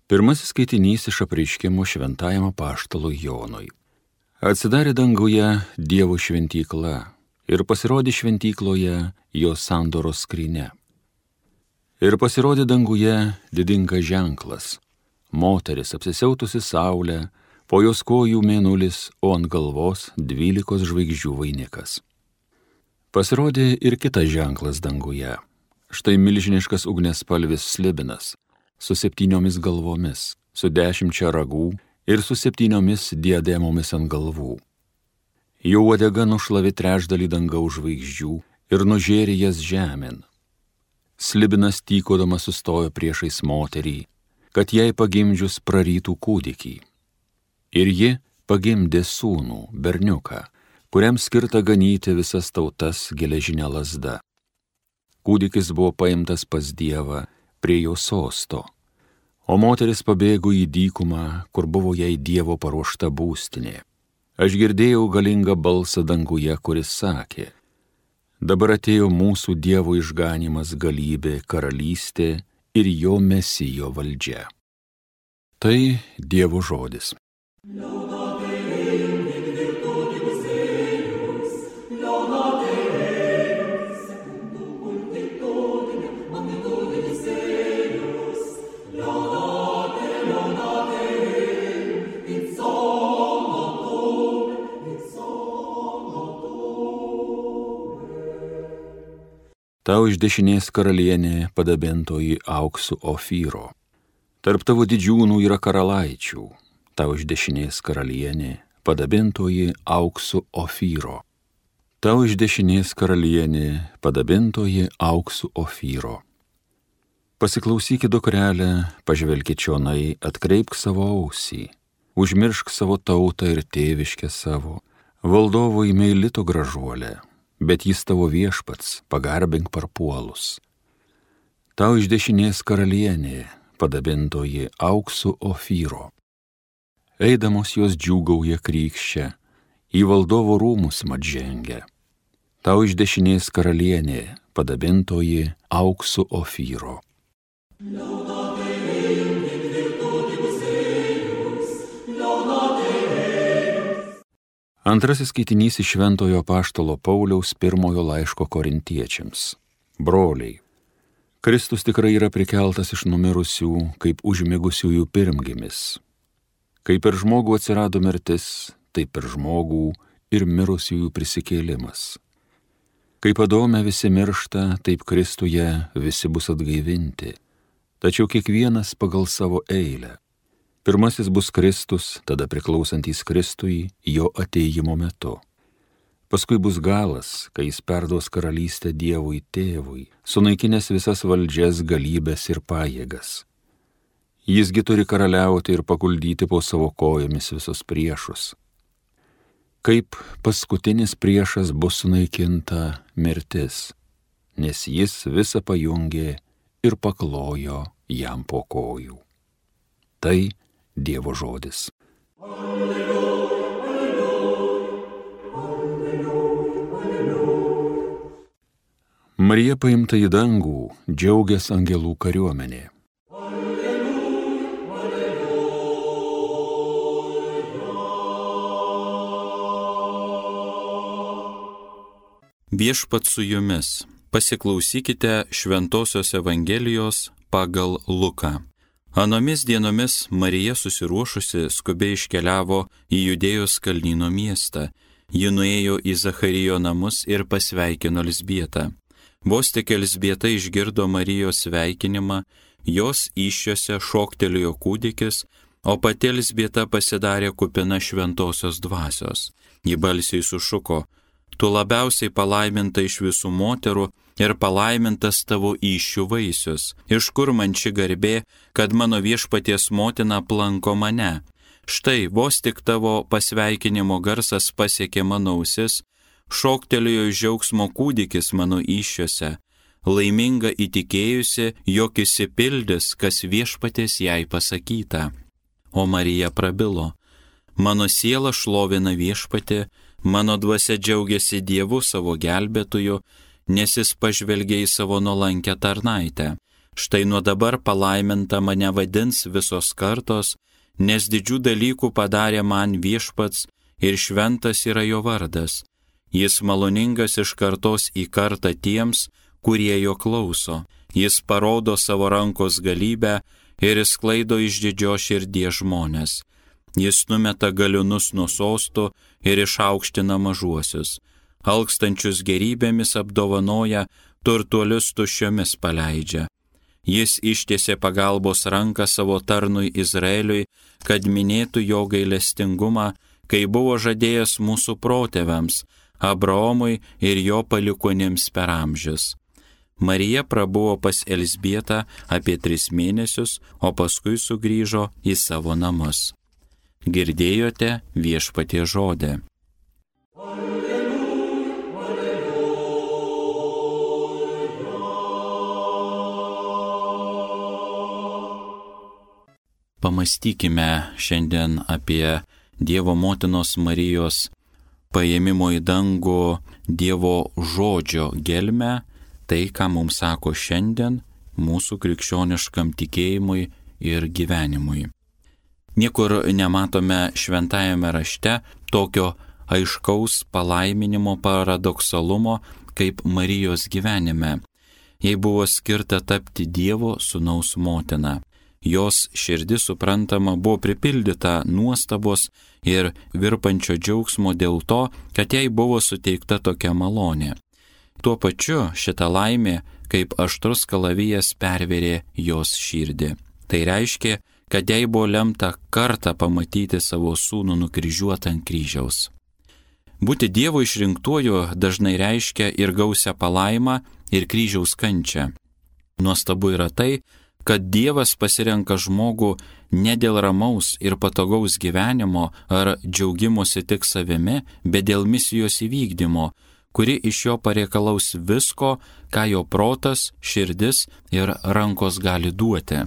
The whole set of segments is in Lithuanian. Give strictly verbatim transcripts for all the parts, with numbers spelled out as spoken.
Pirmasis skaitinys iš apreiškimo šventajam apaštalui Jonui. Atsidarė danguje Dievo šventykla ir pasirodė šventykloje jo sandoros skrynia. Ir pasirodė danguje didingas ženklas, moteris apsisiautusi saulę, po jos kojų mėnulis, o ant galvos dvylikos žvaigždžių vainikas. Pasirodė ir kitas ženklas danguje, štai milžiniškas ugniaspalvis slibinas, su septyniomis galvomis, su dešimčia ragų ir su septyniomis diademomis ant galvų. Jų uodega nušlavė trečdalį dangaus žvaigždžių ir nužėrė jas žemėn. Slibinas tykodamas sustojo priešais moterį, kad jai pagimdžius prarytų kūdikį. Ir ji pagimdė sūnų, berniuką, kuriam skirta ganyti visas tautas geležinė lazda. Kūdikis buvo paimtas pas Dievą prie jo sosto, o moteris pabėgo į dykumą, kur buvo jai Dievo paruošta būstinė. Aš girdėjau galingą balsą danguje, kuris sakė: dabar atėjo mūsų Dievo išganymas, galybė, karalystė ir jo Mesijo valdžia. Tai Dievo žodis. Tau iš dešinės karalienė padabintoji auksu Ofyro. Tarp tavo didžiūnų yra karalaičių. Tau iš dešinės karalienė padabintoji auksu Ofyro. Tau iš dešinės karalienė padabintoji auksu Ofyro. Pasiklausykit, dukrelė, pažvelkit čionai, atkreipk savo ausį, užmiršk savo tautą ir tėviškę savo, valdovui meilito gražuolė, bet jis tavo viešpats, pagarbink parpuolus. Tau iš dešinės karalienė, padabintoji auksu Ofyro. Eidamos jos džiūgauja krykščia, į valdovo rūmus mat žengia. Tau iš dešinės karalienė, padabintoji auksu Ofyro. Antrasis skaitinys iš Šventojo apaštalo Pauliaus pirmojo laiško korintiečiams. Broliai, Kristus tikrai yra prikeltas iš numirusių, kaip užmigusiųjų pirmgimis. Kaip per žmogų atsirado mirtis, taip per žmogų ir mirusiųjų prisikėlimas. Kaip Adome visi miršta, taip Kristuje visi bus atgaivinti, tačiau kiekvienas pagal savo eilę. Pirmasis bus Kristus, tada priklausantys Kristui jo atėjimo metu. Paskui bus galas, kai jis perduos karalystę Dievui Tėvui, sunaikinęs visas valdžias, galybės ir pajėgas. Jisgi turi karaliauti ir paguldyti po savo kojomis visus priešus. Kaip paskutinis priešas bus sunaikinta mirtis, nes jis visą pajungė ir paklojo jam po kojų. Tai Dievo žodis. Alleluja, alleluja, alleluja. Marija paimta į dangų, džiaugias angelų kariuomenė. Alleluja, alleluja. Viešpat su jumis. Pasiklausykite Šventosios Evangelijos pagal Luką. Anomis dienomis Marija susiruošusi skubiai iškeliavo į Judėjos kalnyno miestą. Ji nuėjo į Zacharijo namus ir pasveikino Elzbietą. Vos tik Elzbieta išgirdo Marijos sveikinimą, jos įsčiose šoktelėjo kūdikis, o pati Elzbieta pasidarė kupina šventosios dvasios. Ji balsiai sušuko: tu labiausiai palaiminta iš visų moterų ir palaimintas tavo įsčių vaisius. Iš kur man ši garbė, kad mano viešpaties motina aplanko mane? Štai, vos tik tavo pasveikinimo garsas pasiekė mano ausis, šoktelėjo iš džiaugsmo kūdikis mano įsčiose, laiminga įtikėjusi, jog išsipildys, kas viešpaties jai pasakyta. O Marija prabilo: mano siela šlovina viešpatį, mano dvasia džiaugiasi Dievu savo gelbėtoju, nes jis pažvelgė į savo nuolankę tarnaitę. Štai nuo dabar palaiminta mane vadins visos kartos, nes didžių dalykų padarė man Viešpats ir šventas yra jo vardas. Jis maloningas iš kartos į kartą tiems, kurie jo klauso. Jis parodo savo rankos galybę ir išsklaido išdidžios širdies žmonės. Jis numeta galiūnus nuo sostų ir išaukština mažuosius. Alkstančius gerybėmis apdovanoja, turtuolius tuščiomis paleidžia. Jis ištiesė pagalbos ranką savo tarnui Izraeliui, kad minėtų jo gailestingumą, kai buvo žadėjęs mūsų protėviams, Abraomui ir jo palikuonims per amžius. Marija prabuvo pas Elzbietą apie tris mėnesius, o paskui sugrįžo į savo namus. Girdėjote Viešpaties žodį. Pamastykime šiandien apie Dievo motinos Marijos paėmimo į dangų Dievo žodžio gelmę, tai, ką mums sako šiandien mūsų krikščioniškam tikėjimui ir gyvenimui. Niekur nematome šventajame rašte tokio aiškaus palaiminimo paradoksalumo kaip Marijos gyvenime. Jai buvo skirta tapti Dievo sūnaus motina. Jos širdis, suprantama, buvo pripildyta nuostabos ir virpančio džiaugsmo dėl to, kad jai buvo suteikta tokia malonė. Tuo pačiu šita laimė, kaip aštrus kalavijas, pervėrė jos širdį. Tai reiškia, kad jai buvo lemta kartą pamatyti savo sūnų nukryžiuotą ant kryžiaus. Būti Dievo išrinktuoju dažnai reiškia ir gausią palaimą, ir kryžiaus kančią. Nuostabu yra tai, kad Dievas pasirenka žmogų ne dėl ramaus ir patogaus gyvenimo ar džiaugimosi tik savimi, bet dėl misijos įvykdymo, kuri iš jo pareikalaus visko, ką jo protas, širdis ir rankos gali duoti.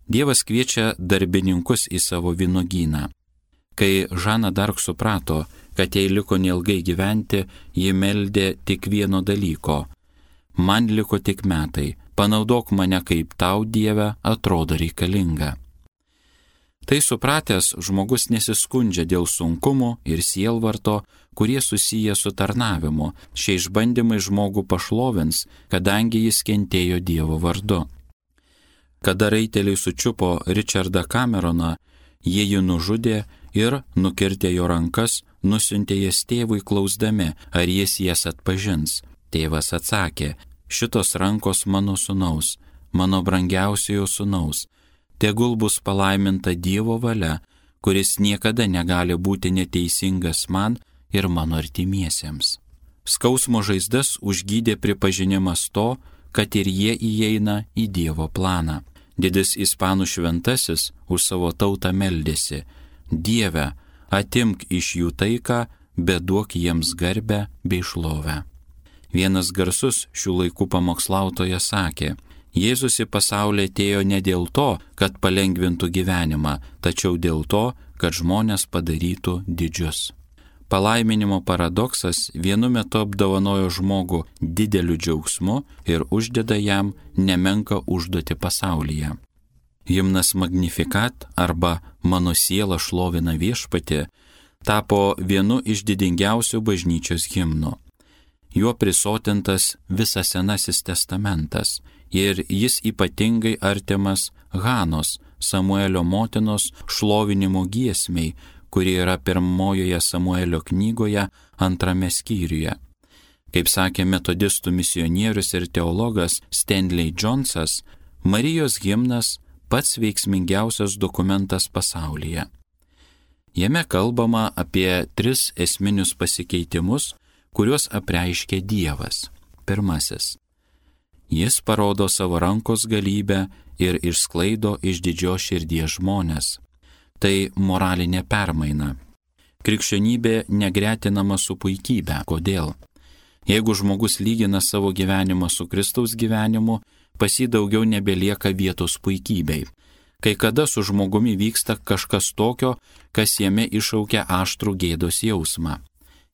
Dievas kviečia darbininkus į savo vynuogyną. Kai Žana Dark suprato, kad jai liko neilgai gyventi, ji meldė tik vieno dalyko: man liko tik metai, panaudok mane, kaip tau, Dieve, atrodo reikalinga. Tai supratęs, žmogus nesiskundžia dėl sunkumų ir sielvarto, kurie susiję su tarnavimu. Šie išbandymai žmogų pašlovins, kadangi jis kentėjo Dievo vardu. Kada raiteliai sučiupo Richardą Cameroną, jie jį nužudė ir, nukirtę jo rankas, nusiuntė jas tėvui klausdami, ar jis jas atpažins. Tėvas atsakė: šitos rankos mano sūnaus, mano brangiausiojo sūnaus. Tegul bus palaiminta Dievo valia, kuris niekada negali būti neteisingas man ir mano artimiesiems. Skausmo žaizdas užgydė pripažinimas to, kad ir jie įeina į Dievo planą. Didis ispanų šventasis už savo tautą meldėsi: Dieve, atimk iš jų taiką, bet duok jiems garbę bei šlovę. Vienas garsus šių laikų pamokslautojas sakė: Jėzus į pasaulį atėjo ne dėl to, kad palengvintų gyvenimą, tačiau dėl to, kad žmonės padarytų didžius. Palaiminimo paradoksas vienu metu apdovanojo žmogų dideliu džiaugsmu ir uždeda jam nemenką užduotį pasaulyje. Himnas Magnificat arba Mano siela šlovina Viešpatį tapo vienu iš didingiausių bažnyčios himnų. Juo prisotintas visas Senasis testamentas ir jis ypatingai artimas Hanos, Samuelio motinos šlovinimo giesmei, kuri yra pirmojoje Samuelio knygoje antrame skyriuje. Kaip sakė metodistų misionierius ir teologas Stanley Jonesas, Marijos himnas pats veiksmingiausias dokumentas pasaulyje. Jame kalbama apie tris esminius pasikeitimus, kuriuos apreiškia Dievas. Pirmasis. Jis parodo savo rankos galybę ir išsklaido iš didžios širdies žmonės. Tai moralinė permaina. Krikščionybė negretinama su puikybė. Kodėl? Jeigu žmogus lygina savo gyvenimą su Kristaus gyvenimu, pas jį daugiau nebelieka vietos puikybei. Kai kada su žmogumi vyksta kažkas tokio, kas jame iššaukia aštrų gėdos jausmą.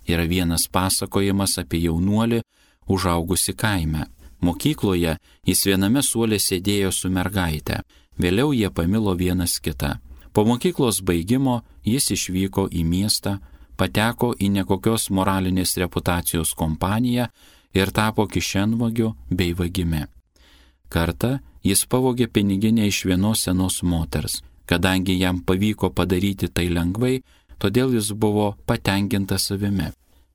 Yra vienas pasakojimas apie jaunuolį užaugusi kaime. Mokykloje jis viename suole sėdėjo su mergaite, vėliau jie pamilo vienas kitą. Po mokyklos baigimo jis išvyko į miestą, pateko į nekokios moralinės reputacijos kompaniją ir tapo kišenvagiu bei vagimi. Kartą jis pavogė piniginę iš vienos senos moters. Kadangi jam pavyko padaryti tai lengvai, todėl jis buvo patenkintas savimi.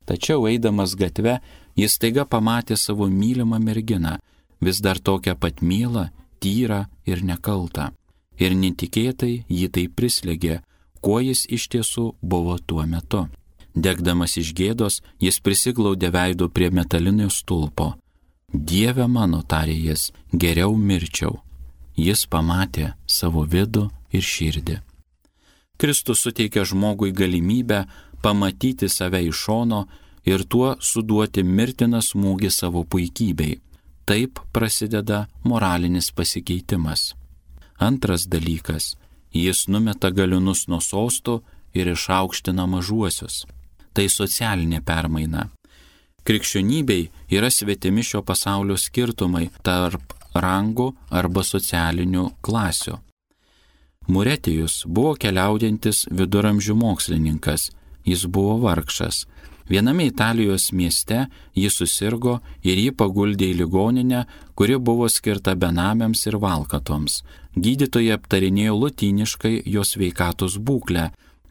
Tačiau eidamas gatve, jis staiga pamatė savo mylimą merginą, vis dar tokią pat mielą, tyrą ir nekaltą. Ir netikėtai jį tai prislėgė, kuo jis iš tiesų buvo tuo metu. Degdamas iš gėdos, jis prisiglaudė veidu prie metalinio stulpo. Dieve mano, tarė jis, geriau mirčiau. Jis pamatė savo vidų ir širdį. Kristus suteikia žmogui galimybę pamatyti save iš šono ir tuo suduoti mirtiną smūgį savo puikybei. Taip prasideda moralinis pasikeitimas. Antras dalykas, jis numeta galiūnus nuo sostų ir išaukština mažuosius. Tai socialinė permaina. Krikščionybei yra svetimi šio pasaulio skirtumai tarp rangų arba socialinių klasių. Muretijus buvo keliaujantis viduramžių mokslininkas, jis buvo vargšas. Viename Italijos mieste jis susirgo ir jį paguldė į ligoninę, kuri buvo skirta benamiams ir valkatoms. Gydytojai aptarinėjo lotyniškai jo sveikatos būklę,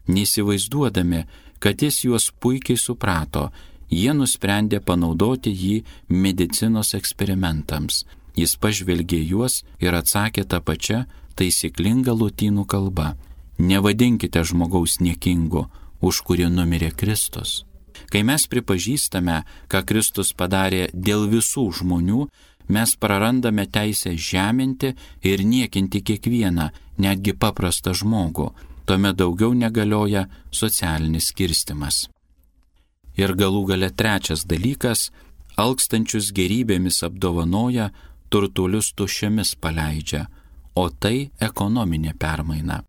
neįsivaizduodami, kad jis juos puikiai suprato. Jie nusprendė panaudoti jį medicinos eksperimentams. Jis pažvelgė juos ir atsakė tą pačią taisyklinga lotynų kalba. Nevadinkite žmogaus niekingu, už kurį numirė Kristus. Kai mes pripažįstame, ką Kristus padarė dėl visų žmonių, mes prarandame teisę žeminti ir niekinti kiekvieną, netgi paprastą žmogų. Tuomet daugiau negalioja socialinis skirstimas. Ir galų gale trečias dalykas, alkstančius gerybėmis apdovanoja, turtuolius tuščiamis paleidžia, o tai ekonominė permaina.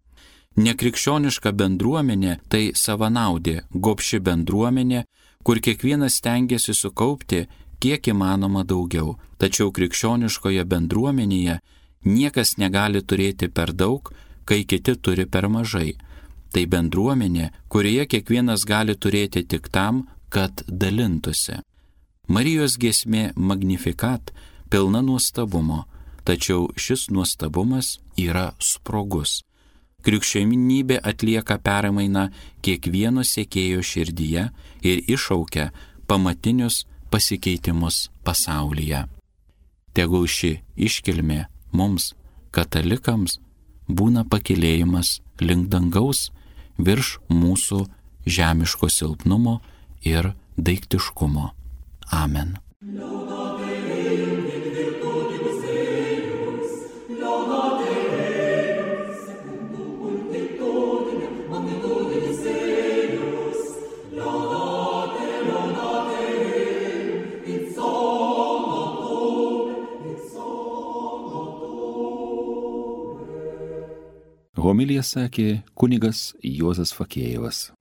Nekrikščioniška bendruomenė tai savanaudė, gobši bendruomenė, kur kiekvienas stengiasi sukaupti kiek įmanoma daugiau. Tačiau krikščioniškoje bendruomenėje niekas negali turėti per daug, kai kiti turi per mažai. Tai bendruomenė, kurioje kiekvienas gali turėti tik tam, kad dalintųsi. Marijos giesmė Magnificat pilna nuostabumo, tačiau šis nuostabumas yra sprogus. Krikščionybė atlieka permainą kiekvieno sekėjo širdyje ir iššaukia pamatinius pasikeitimus pasaulyje. Tegul ši iškilmė mums, katalikams, būna pakilėjimas link dangaus virš mūsų žemiško silpnumo ir daiktiškumo. Amen. Homiliją sakė kunigas Juozas Fakėjevas.